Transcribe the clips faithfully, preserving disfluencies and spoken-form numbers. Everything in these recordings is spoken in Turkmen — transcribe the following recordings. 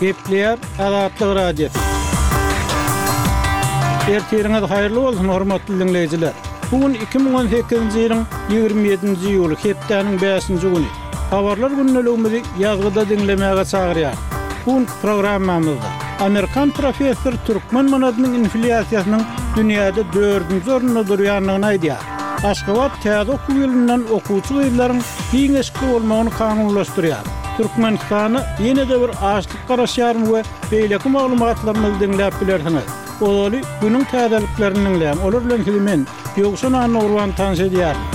Gepleýär Azatlyk Radiosy. Ertiriňiz haýyrly bolsun, hormatly diňleýjiler. Bu gün iki müň on sekizinji ýylyň ýigrimi ýedinji iýuly, hepdäniň bäşinji güni. Habarlar gündeligimizi ýazgyda diňlemäge çagyrýar. Bu günki programmamyzda Amerikan professor türkmen manadynyň inflýasiýasynyň dünýäde dördünji orunda durýandygyny aýdýar. Aşgabat täze okuw ýylyndan okuwçy gyzlaryň giň eşikli bolmagyny kanunlaşdyrýar. Türkmenistana ýene-de bir açlyk garaşýaryn we beýleki maglumatlarymyzy diňläp bilersiňiz. Ozaly günüň täzeliklerini diňläň. Olar bilen sizi men, Ýowşan Annagurban tanyş edýärin.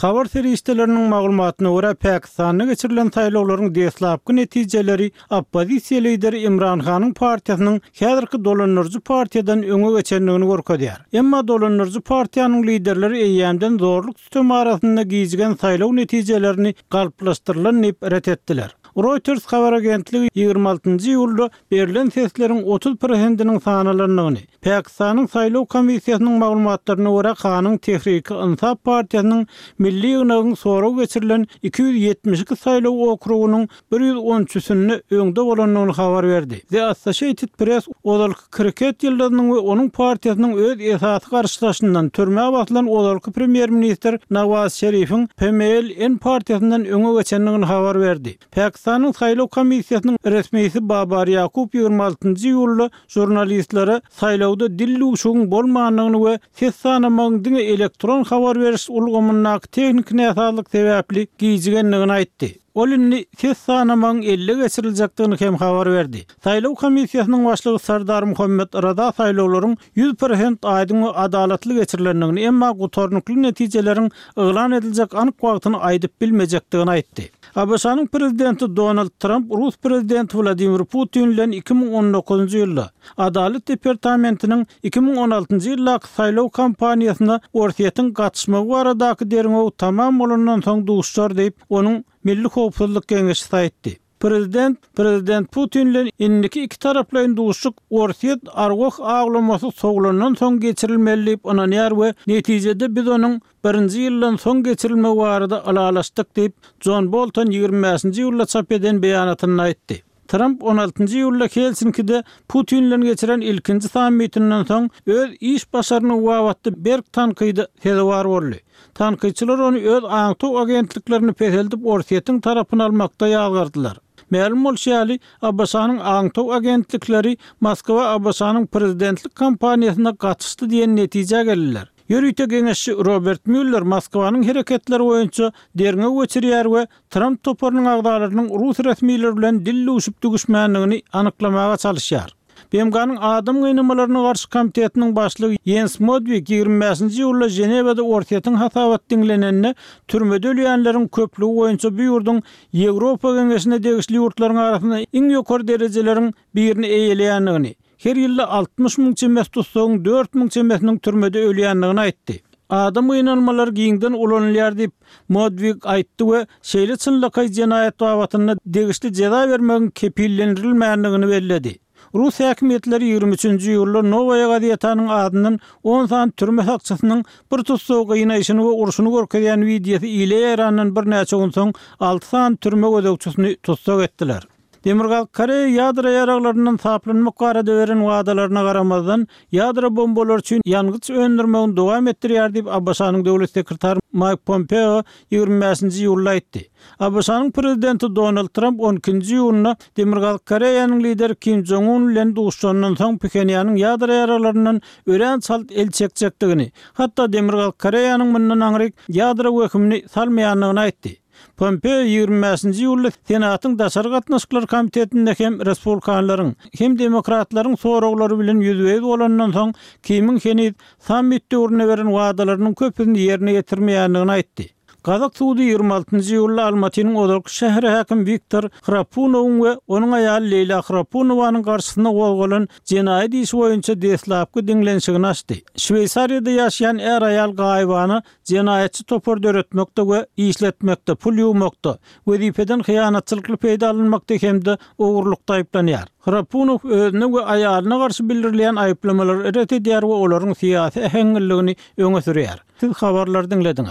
Habar serişdeleriniň maglumatyna görä, Pakistanda geçirilen saýlawlaryň deslapky netijeleri oppozisiýa lideri Imran Hanyň partiýasynyň häzirki dolandyryjy partiýadan öňe geçendigini görkezýär. Emma dolandyryjy partiýanyň liderleri eýýämden zorluk sütemi arasynda gijigen saýlaw netijelerini galplaşdyrylan diýip ret etdiler. Reuters habar agentligi ýigrimi altynjy iýulda berlen sesleriň otuz prosentiniň sanalandygyny, Pakistanyň saýlaw komissiýasynyň maglumatlaryna görä Hanyň Tehriki Insaf partiýasynyň Milli ýygnagyň sorag geçirilen iki ýüz ýetmiş iki saýlaw okrugynyň bir ýüz on üçüsinde öňde bolandygyny habar berdi. The Associated Press ozalky kriket ýyldyzynyň we onuň partiýasynyň öz esasy garşydaşyndan türmä basylan ozalky premýer-ministr Nawaz Şerifiň P M L N partiýasyndan öňe geçendigini habar berdi. Pakistanyň saýlaw komissiýasynyň resmisi Babar Ýakup ýigrimi altynjy iýulda žurnalistlere saýlawda dil duşugyň bolmandygyny we ses sanamagyň diňe elektron habar beriş ulgamyndaky tehniki näsazlyk sebäpli gijigendigini aýtdy. Ol indi ses sanamagyň elle geçiriljekdigini hem habar berdi. Saýlaw komissiýasynyň başlygy Sardar Muhammed Raza saýlawlaryň ýüz prosent aýdyň we adalatly geçirilendigini, emma gutarnykly netijeleriň yglan ediljek anyk wagtyny aýdyp bilmejekdigini aýtdy. A B Ş-nyň prezidenti Donald Trump Rus prezidenti Wladimir Putin bilen iki müň on dokuzynjy ýylda Adalat departamentiniň iki müň on altynjy ýyldaky saýlaw kampaniýasyna Orsýetiň gatyşmagy baradaky derňew tamam bolandan soň duşar diýip, onuň Milli Howpsuzlyk Geňeşi aýtdy. Prezident, Prezident Putin bilen indiki iki taraplaýyn duşuşyk Orsýet arwah awlamasy sowlandan soň geçirilmeli diýip ynanýar we netijede biz onuň birinji ýyldan soň geçirilmegi barada ylalaşdyk diýip, John Bolton ýigrimi bäşinji iýulda çap eden beýanatynda aýtdy. Trump on altynjy iýulda Helsinkide Putin bilen geçiren ilkinji sammitinden soň öz iş başaryny babatda berk tankydy sezewar boldy. Tankytçylar ony öz aňtaw agentliklerini peseldip Orsýetiň tarapyny almakda ýazgardylar. Mälim bolşy ýaly, A B Ş-nyň aňtaw agentlikleri Moskwa A B Ş-nyň prezidentlik kampaniýasyna gatyşdy diýen netijä geldiler. Ýörite geňeşçi Robert Müller Moskwanyň hereketleri boýunça derňew geçirýär we Trump toparynyň agzalarynyň rus resmileri bilen dil duşup düşmändigini anyklamaga çalyşýar. B M G-nyň adam gynamalaryna garşy komitetiniň başlygy Jens Modvig ýigrimi bäşinji iýulda Ženewada Orsýetiň hasabat diňlenende türmede ölýänleriň köplügi boýunça bu ýurduň Ýewropa Geňeşine degişli ýurtlaryň arasynda iň ýokary derejeleriň birini eýeleýändigini, her ýylda altmyş müň çemesi tutsagyň dört müň çemesiniň türmede ölýändigini aýtdy. Adam gynalmalary giňden ulanylýar diýip Modvig aýtdy we şeýle çynlakaý jenaýat babatynda degişli jeza bermegiň kepillendirilmändigini belledi. Rus häkimiýetleri ýigrimi üçünji iýulda Nowaýa gazetanyň adyndan on sany türme sakçysynyň bir tutsagy gynaýşyny we urşuny görkezýän wideosy ile ýaýrandan birnäçe gün soň alty sany türme gözegçisini tutsak etdiler. Demirgazyk Koreýa ýadro ýaraglaryndan saplanmak barada beren wadalaryna garamazdan, ýadro bombalary üçin ýangyç öndürmegini dowam etdirýär diýip A B Ş-nyň döwlet sekretary Mike Pompeo ýigrimi bäşinji iýulda aýtdy. A B Ş-nyň prezidenti Donald Trump on ikinji iýunda Demirgazyk Koreýanyň lideri Kim Jong-un bilen duşuşandan soň Phenýanyň ýadro ýaraglaryndan örän çalt el çekjekdigini, hatda Demirgazyk Koreýanyň mundan aňryk ýadro wehimini salmaýandygyny aýtdy. Pompeo ýigrimi bäşinji iýulda Senatyň Daşary gatnaşyklar komitetinde hem respublikanlaryň, hem demokratlaryň soraglary bilen ýüzbe-ýüz bolandan soň Kimiň heniz sammit döwründe beren wadalarynyň köpüsini ýerine ýetirmeýändigini aýtdy. Gazak sudy ýigrimi altynjy iýulda Almatynyň ozalky şäher häkimi Wiktor Hrapunowyň we onuň aýaly Leýla Hrapunowanyň garşysyna gozgalan jenaýat işi boýunça deslapky diňlenişigini açdy. Şweýsariýada ýaşaýan är-aýal gaýybana jenaýatçy topar döretmekde we işletmekde, pul ýuwmakda, wezipeden hyýanatçylykly peýdalanmakda hem-de ogurlykda aýyplanýar. Hrapunow özüne we aýalyna garşy bildirilýän aýyplamalary ret edýär we olaryň syýasy äheňliligini öňe sürýär. Siz habarlary diňlediňiz.